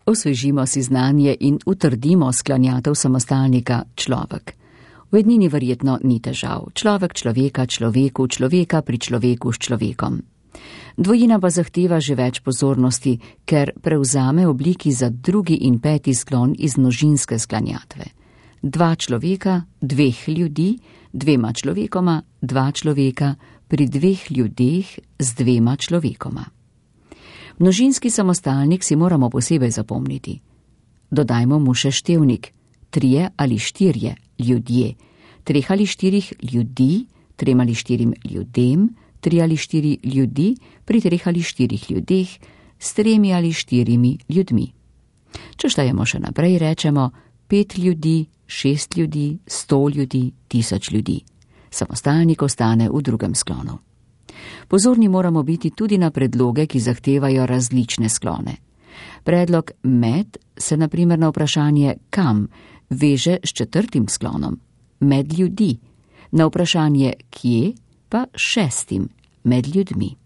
Osvežimo si znanje in utrdimo sklanjatev samostalnika človek. V ednini verjetno ni težav. Človek človeka človeku, človeka pri človeku s človekom. Dvojina pa zahteva že več pozornosti, ker prevzame obliki za drugi in peti sklon iz množinske sklanjatve. Dva človeka, dveh ljudi, dvema človekoma, dva človeka, pri dveh ljudeh z dvema človekoma. Množinski samostalnik si moramo posebej zapomniti. Dodajmo mu še števnik, 3 ali 4 ljudje, 3 ali 4 ljudi, 3 ali 4 ljudem, 3 ali 4 ljudi, pri 3 ali 4 ljudeh, s 3 ali 4 ljudmi. Če štejemo še naprej, rečemo 5 ljudi, 6 ljudi, 100 ljudi, 1000 ljudi. Samostalnik ostane v drugem sklonu. Pozorni moramo biti tudi na predloge, ki zahtevajo različne sklone. Predlog med se na primer na vprašanje kam veže s 4. sklonom, med ljudi, na vprašanje kje pa 6. med ljudmi.